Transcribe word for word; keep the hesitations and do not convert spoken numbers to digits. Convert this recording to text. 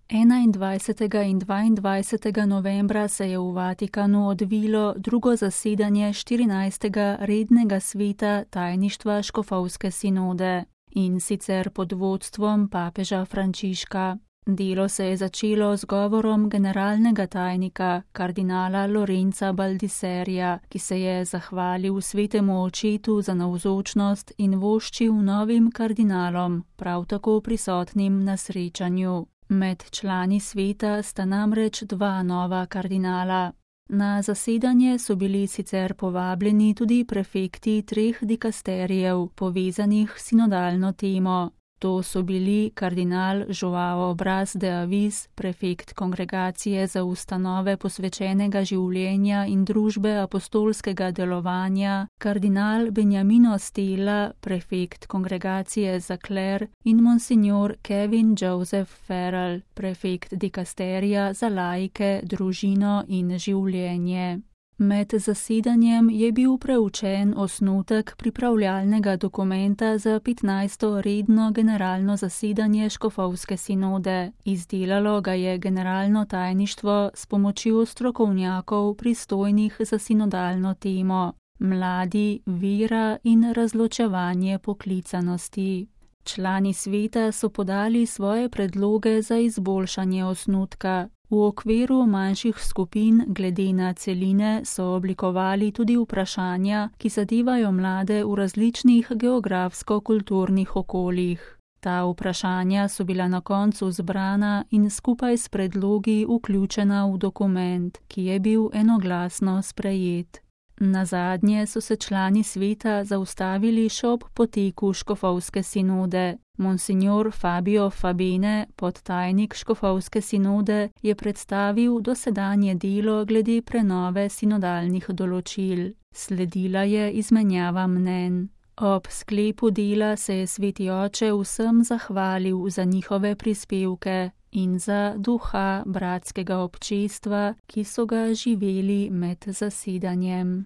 enaindvajsetega in dvaindvajsetega novembra se je v Vatikanu odvilo drugo zasedanje štirinajstega rednega sveta tajništva škofovske sinode, in sicer pod vodstvom papeža Frančiška. Delo se je začelo z govorom generalnega tajnika, kardinala Lorenza Baldiserija, ki se je zahvalil svetemu očetu za navzočnost in voščil novim kardinalom, prav tako prisotnim na srečanju. Med člani sveta sta namreč dva nova kardinala. Na zasedanje so bili sicer povabljeni tudi prefekti treh dikasterijev, povezanih s sinodalno temo. To so bili kardinal Joao Braz de Avis, prefekt Kongregacije za ustanove posvečenega življenja in družbe apostolskega delovanja, kardinal Benjamino Stella, prefekt Kongregacije za kler, in monsignor Kevin Joseph Farrell, prefekt dikasterija za laike, družino in življenje. Med zasedanjem je bil preučen osnutek pripravljalnega dokumenta za petnajsto redno generalno zasedanje škofovske sinode. Izdelalo ga je generalno tajništvo s pomočjo strokovnjakov pristojnih za sinodalno temo: mladi, vera in razločevanje poklicanosti. Člani sveta so podali svoje predloge za izboljšanje osnutka. V okviru manjših skupin glede na celine so oblikovali tudi vprašanja, ki zadevajo mlade v različnih geografsko-kulturnih okoljih. Ta vprašanja so bila na koncu zbrana in skupaj s predlogi vključena v dokument, ki je bil enoglasno sprejet. Nazadnje so se člani sveta zaustavili še ob poteku škofovske sinode. Monsignor Fabio Fabene, podtajnik škofovske sinode, je predstavil dosedanje delo glede prenove sinodalnih določil. Sledila je izmenjava mnenj. Ob sklepu dela se je sveti oče vsem zahvalil za njihove prispevke in za duha bratskega občestva, ki so ga živeli med zasedanjem.